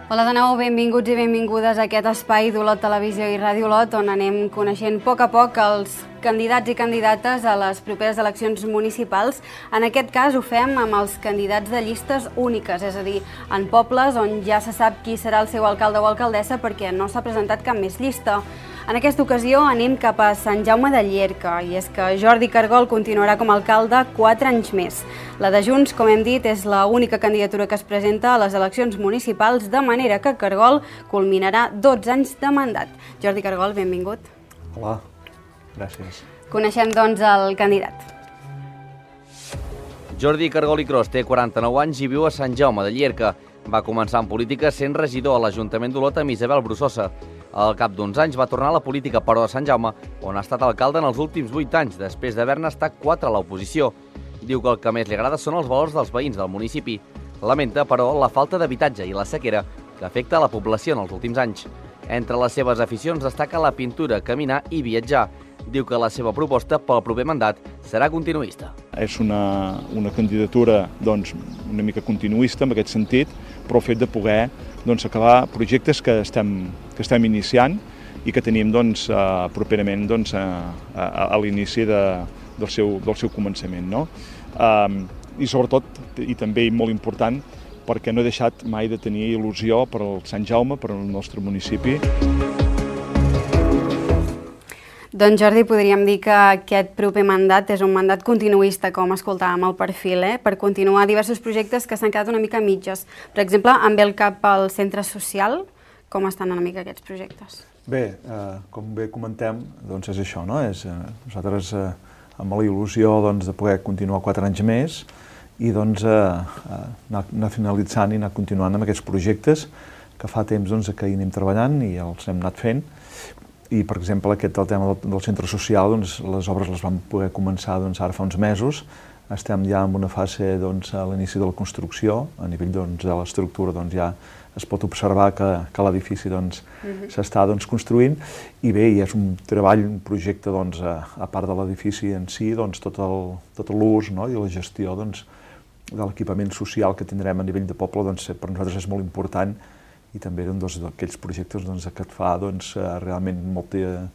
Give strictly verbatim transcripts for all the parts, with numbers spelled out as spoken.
Hola de nou, benvinguts i benvingudes a aquest espai d'Olot Televisió i Ràdio Olot, on anem coneixent a poc a poc els candidats i candidates a les properes eleccions municipals. En aquest cas ho fem amb els candidats de llistes úniques, és a dir, en pobles on ja se sap qui serà el seu alcalde o alcaldessa perquè no s'ha presentat cap més llista. En aquesta ocasió anem cap a Sant Jaume de Llierca, i és que Jordi Cargol continuarà com a alcalde quatre anys més. La de Junts, com hem dit, és l'única candidatura que es presenta a les eleccions municipals, de manera que Cargol culminarà dotze anys de mandat. Jordi Cargol, benvingut. Hola, gràcies. Coneixem, doncs, el candidat. Jordi Cargol i Cros té quaranta-nou anys i viu a Sant Jaume de Llierca. Va començar en política sent regidor a l'Ajuntament d'Olot amb Isabel Brussosa. Al cap d'uns anys va tornar a la política, però a Sant Jaume, on ha estat alcalde en els últims vuit anys, després d'haver-ne estat quatre a l'oposició. Diu que el que més li agrada són els valors dels veïns del municipi. Lamenta, però, la falta d'habitatge i la sequera que afecta a la població en els últims anys. Entre les seves aficions destaca la pintura, caminar i viatjar. Diu que la seva proposta pel proper mandat serà continuista. És una, una candidatura doncs, una mica continuista en aquest sentit, però el fet de poder doncs, acabar projectes que estem, que estem iniciant i que tenim doncs, uh, properament doncs, a, a, a l'inici de, del, seu, del seu començament. No? Um, I sobretot, i també molt important, perquè no he deixat mai de tenir il·lusió per al Sant Jaume, per al nostre municipi. Doncs Jordi, podríem dir que aquest proper mandat és un mandat continuista, com escoltàvem al perfil, eh? per continuar diversos projectes que s'han quedat una mica mitges. Per exemple, em ve el cap al centre social, com estan una mica aquests projectes? Bé, eh, com bé comentem, doncs és això, no? És, eh, nosaltres eh, amb la il·lusió doncs, de poder continuar quatre anys més i doncs, eh, anar, anar finalitzant i anar continuant amb aquests projectes que fa temps doncs, que hi anem treballant i els hem anat fent. I, per exemple, aquest del tema del, del centre social, doncs, les obres les vam poder començar doncs, ara fa uns mesos. Estem ja en una fase doncs, a l'inici de la construcció. A nivell doncs, de l'estructura doncs, ja es pot observar que, que l'edifici doncs, uh-huh. s'està doncs, construint. I bé, i és un treball, un projecte, doncs, a, a part de l'edifici en si, doncs, tot el, tot l'ús, no? I la gestió doncs, de l'equipament social que tindrem a nivell de poble, doncs, per nosaltres és molt important. I també eren doncs, aquells projectes doncs, que et fa doncs, realment molta,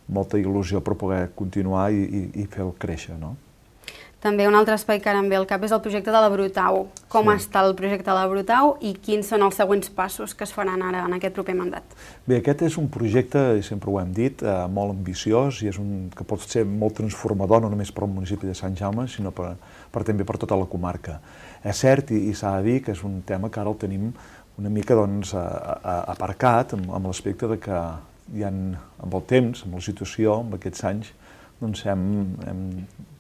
molta il·lusió per poder continuar i, i, i fer-lo créixer. No? També un altre espai que ara em ve al cap és el projecte de la Brutau. Com sí. està el projecte de la Brutau i quins són els següents passos que es faran ara en aquest proper mandat? Bé, aquest és un projecte, i sempre ho hem dit, eh, molt ambiciós i és un que pot ser molt transformador, no només per al municipi de Sant Jaume, sinó per, per, també per tota la comarca. És cert, i, i s'ha de dir que és un tema que ara el tenim una mica doncs, a, a, aparcat amb, amb l'aspecte de que hi ha, amb el temps, amb la situació, amb aquests anys, doncs hem, hem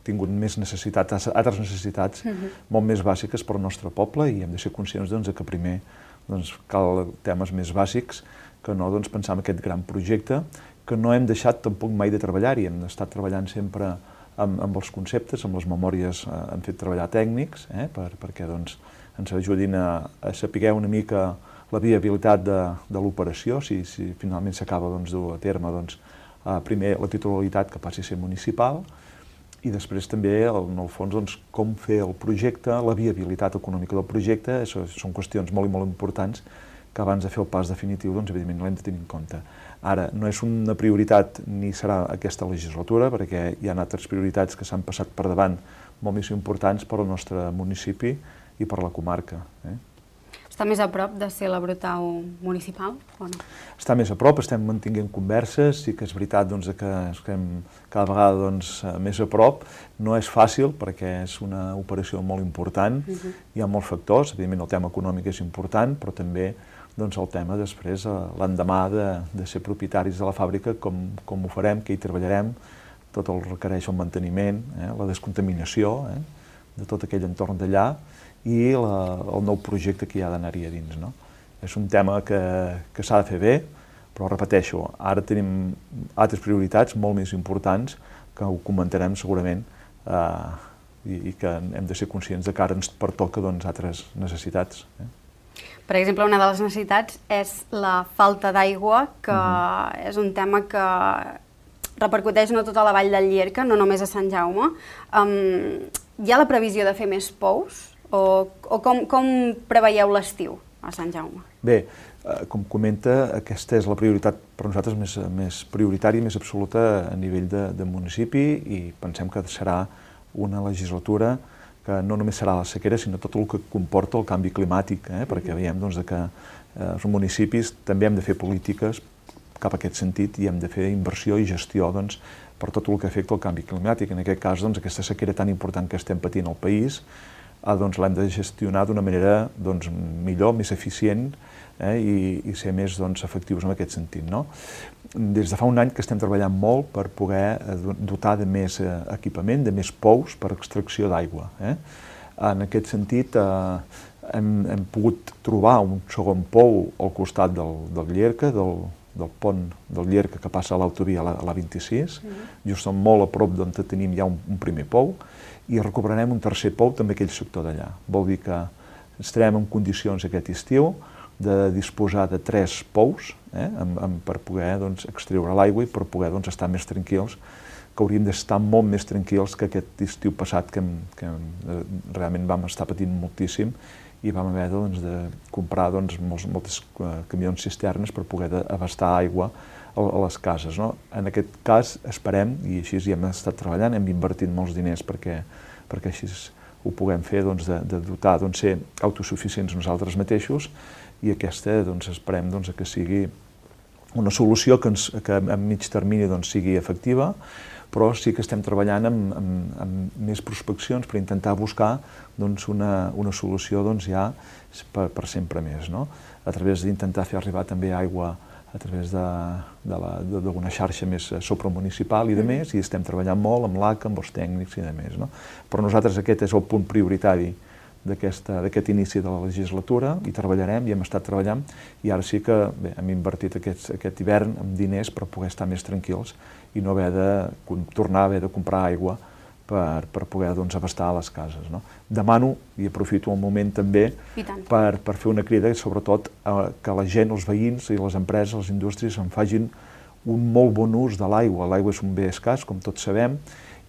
tingut més necessitats, altres necessitats uh-huh. molt més bàsiques per al nostre poble i hem de ser conscients doncs, que primer doncs, cal temes més bàsics que no doncs, pensar en aquest gran projecte que no hem deixat tampoc mai de treballar-hi, hem estat treballant sempre amb, amb els conceptes, amb les memòries, eh, hem fet treballar tècnics eh, per, perquè doncs, ens ajudin a, a saber una mica la viabilitat de, de l'operació, si, si finalment s'acaba doncs, dur a terme doncs, eh, primer la titularitat que passi a ser municipal i després també, en el fons, doncs, com fer el projecte, la viabilitat econòmica del projecte, això són qüestions molt i molt importants que abans de fer el pas definitiu, doncs, evidentment, l'hem de tenir en compte. Ara, no és una prioritat ni serà aquesta legislatura, perquè hi ha altres prioritats que s'han passat per davant molt més importants per al nostre municipi i per la comarca. Eh? Està més a prop de ser la Brutau municipal o no? Està més a prop, estem mantenint converses, sí que és veritat doncs, que estem cada vegada doncs, més a prop. No és fàcil perquè és una operació molt important, uh-huh. hi ha molts factors, evidentment el tema econòmic és important, però també doncs, el tema després, l'endemà de, de ser propietaris de la fàbrica, com, com ho farem, que hi treballarem, tot el requereix el manteniment, eh, la descontaminació eh, de tot aquell entorn d'allà, i la, el nou projecte que hi ha d'anar-hi a dins. No? És un tema que, que s'ha de fer bé, però repeteixo, ara tenim altres prioritats molt més importants que ho comentarem segurament eh, i, i que hem de ser conscients de que ara ens pertoca doncs, altres necessitats. Eh? Per exemple, una de les necessitats és la falta d'aigua, que uh-huh. és un tema que repercuteix no tota la vall del Llierca, no només a Sant Jaume. Um, hi ha la previsió de fer més pous? O, o com, com preveieu l'estiu a Sant Jaume? Bé, com comenta, aquesta és la prioritat per nosaltres més, més prioritària i més absoluta a nivell de, de municipi, i pensem que serà una legislatura que no només serà la sequera, sinó tot el que comporta el canvi climàtic, eh? perquè veiem doncs, que eh, els municipis també hem de fer polítiques cap a aquest sentit i hem de fer inversió i gestió doncs, per tot el que afecta el canvi climàtic. En aquest cas, doncs, aquesta sequera tan important que estem patint al país, eh, doncs, l'hem de gestionar d'una manera doncs, millor, més eficient, eh, i, i ser més doncs, efectius en aquest sentit. No? Des de fa un any que estem treballant molt per poder dotar de més eh, equipament, de més pous per extracció d'aigua. Eh? En aquest sentit, eh, hem, hem pogut trobar un segon pou al costat del, del Llierca, del, del pont del Llierca que passa a l'autovia a la vint-i-sis, mm-hmm. just som molt a prop d'on tenim ja un, un primer pou, i recuperarem un tercer pou també aquell sector d'allà. Vol dir que estarem en condicions aquest estiu de disposar de tres pous eh, amb, amb, per poder doncs, extreure l'aigua i per poder doncs, estar més tranquils, que hauríem d'estar molt més tranquils que aquest estiu passat que, que realment vam estar patint moltíssim i vam haver doncs, de comprar doncs, molts, moltes camions cisternes per poder abastar aigua a, a les cases. No? En aquest cas esperem, i així hi hem estat treballant, hem invertit molts diners perquè, perquè així ho puguem fer, doncs, de, de dotar, doncs, ser autosuficients nosaltres mateixos, i aquesta doncs, esperem doncs, que sigui una solució que, ens, que a mig termini doncs, sigui efectiva, però sí que estem treballant amb, amb, amb més prospeccions per intentar buscar doncs, una, una solució doncs, ja per, per sempre més, no? A través d'intentar fer arribar també aigua a través d'una xarxa més supramunicipal i de més, i estem treballant molt amb l'A C A, amb els tècnics i de més. No? Però nosaltres aquest és el punt prioritari d'aquest inici de la legislatura, i treballarem, i hem estat treballant, i ara sí que bé, hem invertit aquest, aquest hivern amb diners per poder estar més tranquils i no haver de tornar a haver de comprar aigua per, per poder doncs, abastar a les cases. No? Demano, i aprofito el moment també, per, per fer una crida, sobretot a, que la gent, els veïns i les empreses, les indústries, en facin un molt bon ús de l'aigua. L'aigua és un bé escàs, com tots sabem,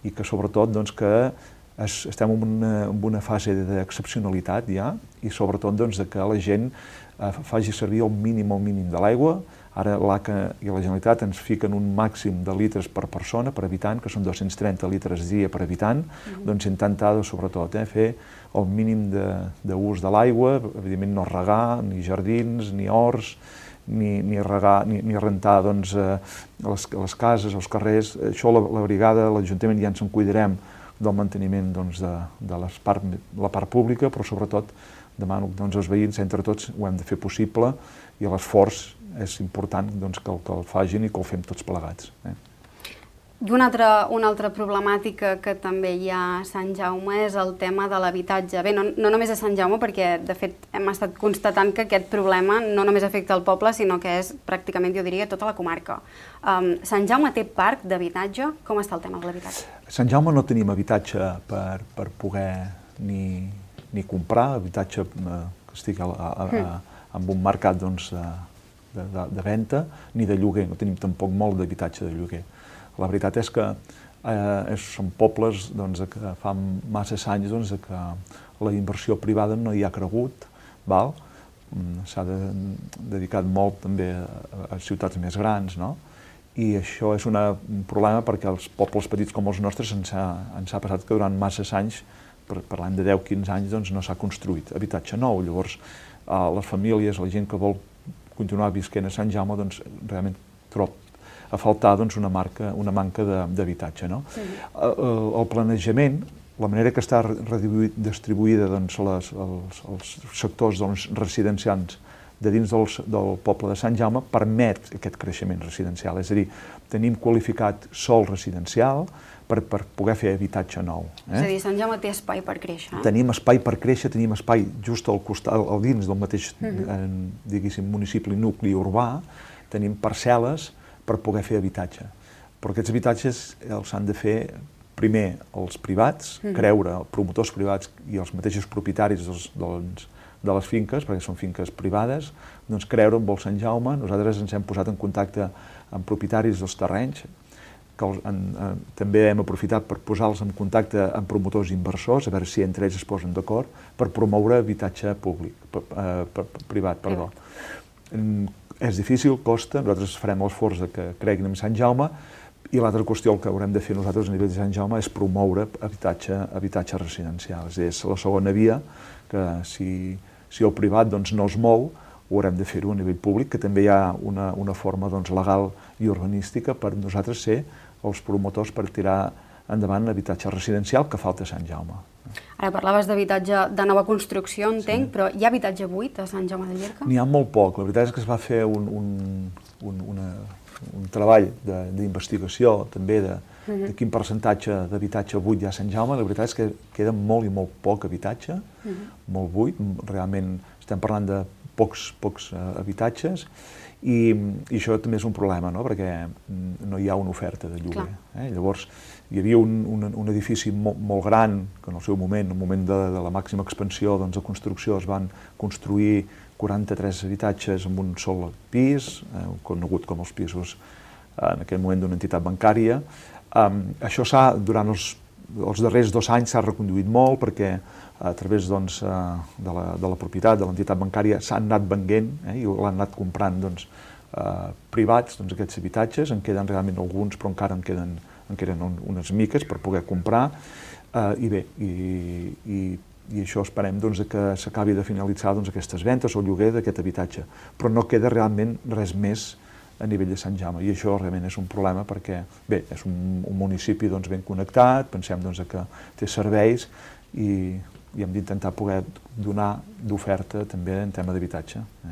i que sobretot doncs, que es, estem en una, en una fase d'excepcionalitat ja, i sobretot doncs, que la gent eh, faci servir el mínim, el mínim de l'aigua. Ara l'A C A i la Generalitat ens fiquen un màxim de litres per persona, per habitant, que són dos-cents trenta litres dia per habitant, mm-hmm. doncs intentar, sobretot, eh, fer el mínim d'ús de, de l'aigua, evidentment no regar, ni jardins, ni horts, ni, ni, regar, ni, ni rentar doncs, eh, les, les cases, els carrers. Això la, la brigada, l'Ajuntament ja ens en cuidarem del manteniment doncs, de, de les part, la part pública, però sobretot demano doncs, als veïns, entre tots ho hem de fer possible, i l'esforç és important doncs, que, el, que el facin i que el fem tots plegats. Eh? I una altra, una altra problemàtica que també hi ha a Sant Jaume és el tema de l'habitatge. Bé, no, no només a Sant Jaume, perquè de fet hem estat constatant que aquest problema no només afecta el poble, sinó que és pràcticament, jo diria, tota la comarca. Um, Sant Jaume té parc d'habitatge? Com està el tema de l'habitatge? A Sant Jaume no tenim habitatge per, per poder ni, ni comprar, habitatge eh, que estigui a, a, a, a, en un mercat doncs, de, de, de venda, ni de lloguer. No tenim tampoc molt d'habitatge de lloguer. La veritat és que eh, són pobles doncs, que fa massa anys doncs, que la inversió privada no hi ha cregut, val? S'ha de, dedicat molt també a, a ciutats més grans, no? I això és una, un problema perquè els pobles petits com els nostres ens ha, ens ha passat que durant massa anys, parlant de deu quinze anys, doncs, no s'ha construït habitatge nou. Llavors, eh, les famílies, la gent que vol continuar visquent a Sant Jaume, doncs, realment trob a faltar doncs, una, marca, una manca d'habitatge. No? Sí. El, el planejament, la manera que està distribuïda doncs, les, els, els sectors doncs, residencials de dins del, del poble de Sant Jaume permet aquest creixement residencial. És a dir, tenim qualificat sòl residencial per, per poder fer habitatge nou. Eh? És a dir, Sant Jaume té espai per créixer. Eh? Tenim espai per créixer, tenim espai just al costat, al dins del mateix uh-huh. diguéssim, municipi, nucli urbà, tenim parcel·les per poder fer habitatge. Però aquests habitatges els han de fer primer els privats, mm. creure, promotors privats i els mateixos propietaris dels, doncs, de les finques, perquè són finques privades, doncs creure en vol Sant Jaume. Nosaltres ens hem posat en contacte amb propietaris dels terrenys, que els, en, en, també hem aprofitat per posar-los en contacte amb promotors inversors, a veure si entre ells es posen d'acord, per promoure habitatge públic, per, per, per, privat, perdó. és difícil, costa, nosaltres farem l'esforç que creguin en Sant Jaume, i l'altra qüestió que haurem de fer nosaltres a nivell de Sant Jaume és promoure habitatge, habitatge residencial. És a dir, és la segona via que si, si el privat doncs, no es mou, ho haurem de fer-ho a nivell públic, que també hi ha una, una forma doncs, legal i urbanística per nosaltres ser els promotors per tirar endavant l'habitatge residencial que falta a Sant Jaume. Ara parlaves d'habitatge de nova construcció, entenc, sí. Però hi ha habitatge buit a Sant Jaume de Llierca? N'hi ha molt poc. La veritat és que es va fer un, un, un, una, un treball d'investigació també de, uh-huh. de quin percentatge d'habitatge buit hi ha a Sant Jaume. La veritat és que queda molt i molt poc habitatge, uh-huh. molt buit. Realment estem parlant de pocs, pocs uh, habitatges i, i això també és un problema, no? Perquè no hi ha una oferta de lloguer. Eh? Llavors, hi havia un, un, un edifici molt, molt gran, que en el seu moment, en el moment de, de la màxima expansió doncs, de construcció, es van construir quaranta-tres habitatges en un sol pis, eh, conegut com els pisos eh, en aquell moment d'una entitat bancària. Um, això s'ha, durant els, els darrers dos anys s'ha reconduït molt perquè a través doncs, de, la, de la propietat de l'entitat bancària s'han anat venent eh, i l'han anat comprant doncs, eh, privats doncs, aquests habitatges. En queden realment alguns, però encara en queden, en queden unes miques per poder comprar. Eh, I bé, i, i, i això esperem doncs, que s'acabi de finalitzar doncs, aquestes ventes o lloguer d'aquest habitatge. Però no queda realment res més a nivell de Sant Jaume, i això realment és un problema perquè bé, és un, un municipi doncs, ben connectat, pensem doncs, que té serveis i i hem d'intentar poder donar d'oferta també en tema d'habitatge. Eh?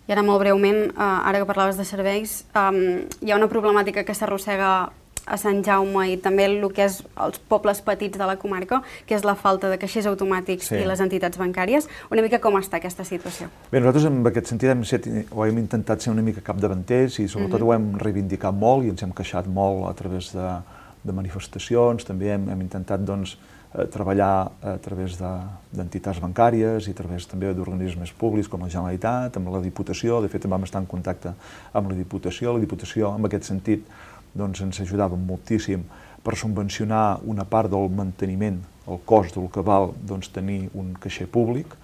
I ara molt breument, eh, ara que parlaves de serveis, eh, hi ha una problemàtica que s'arrossega a Sant Jaume i també el que és els pobles petits de la comarca, que és la falta de caixers automàtics sí. i les entitats bancàries. Una mica com està aquesta situació? Bé, nosaltres en aquest sentit hem, set, ho hem intentat ser una mica capdavanters i sobretot mm-hmm. ho hem reivindicat molt i ens hem queixat molt a través de, de manifestacions, també hem, hem intentat doncs, treballar a través d'entitats bancàries i a través també d'organismes públics com la Generalitat, amb la Diputació. De fet, vam estar en contacte amb la Diputació. La Diputació, en aquest sentit, doncs, ens ajudava moltíssim per subvencionar una part del manteniment, el cost del que val doncs, tenir un caixer públic.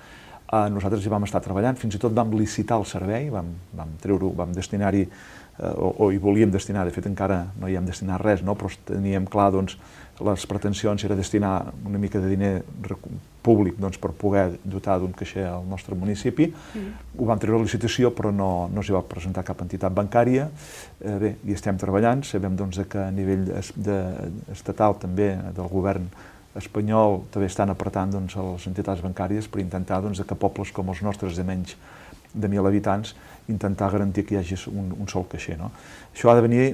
Eh, nosaltres hi vam estar treballant, fins i tot vam licitar el servei, vam, vam treure-ho, vam destinar-hi, eh, o, o hi volíem destinar, de fet encara no hi hem destinat res, no? Però teníem clar, doncs, les pretensions era destinar una mica de diner públic doncs, per poder dotar d'un caixer al nostre municipi. Mm. Ho vam treure a licitació, però no, no s'hi va presentar cap entitat bancària. Eh, bé, hi estem treballant, sabem doncs, que a nivell es, de, estatal també del govern espanyol també estan apretant doncs, les entitats bancàries per intentar doncs, que pobles com els nostres de menys de mil habitants intentar garantir que hi hagi un, un sol caixer. No? Això ha de venir,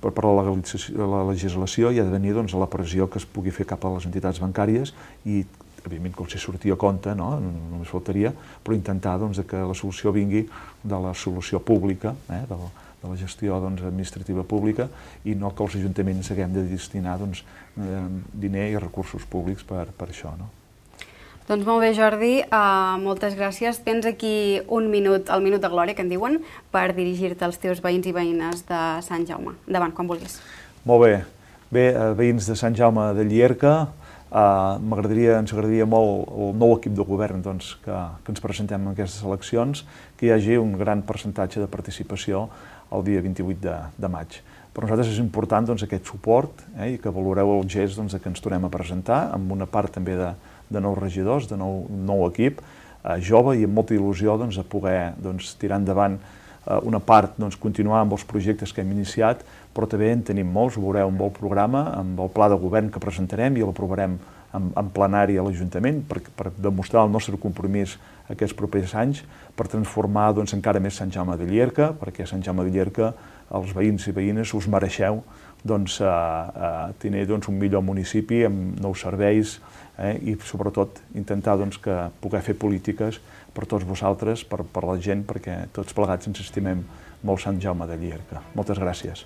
per, per la, la legislació, i ha de venir doncs, a la pressió que es pugui fer cap a les entitats bancàries i, evidentment, com si sortia a compte, no? Només faltaria, però intentar doncs, que la solució vingui de la solució pública, eh? de, la, de la gestió doncs, administrativa pública, i no que els ajuntaments haguem de destinar doncs, eh, diner i recursos públics per, per això. No? Doncs molt bé, Jordi, uh, moltes gràcies. Tens aquí un minut, el minut de glòria, que en diuen, per dirigir-te als teus veïns i veïnes de Sant Jaume. Endavant, quan vulguis. Molt bé. Bé, veïns de Sant Jaume de Llierca, uh, m'agradaria, ens agradaria molt el nou equip de govern doncs, que, que ens presentem en aquestes eleccions, que hi hagi un gran percentatge de participació el dia vint-i-vuit de, de maig. Per nosaltres és important doncs, aquest suport eh, i que valoreu el gest doncs, que ens tornem a presentar, amb una part també de de nous regidors, de nou, nou equip, eh, jove i amb molta il·lusió doncs, de poder doncs, tirar endavant eh, una part, doncs, continuar amb els projectes que hem iniciat, però també en tenim molts, ho veureu amb el programa, amb el pla de govern que presentarem i l'aprovarem en, en plenari a l'Ajuntament per, per demostrar el nostre compromís aquests propers anys, per transformar doncs, encara més Sant Jaume de Llierca, perquè Sant Jaume de Llierca, els veïns i veïnes, us mereixeu doncs, a, a tenir doncs, un millor municipi amb nous serveis, Eh, i sobretot intentar doncs, que poder fer polítiques per tots vosaltres, per, per la gent, perquè tots plegats ens estimem molt Sant Jaume de Llierca. Moltes gràcies.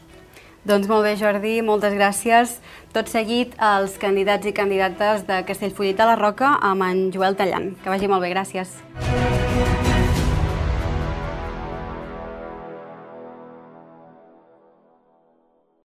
Doncs molt bé, Jordi, moltes gràcies. Tot seguit, els candidats i candidates de Castellfollit de la Roca amb en Joel Tallant. Que vagi molt bé, gràcies.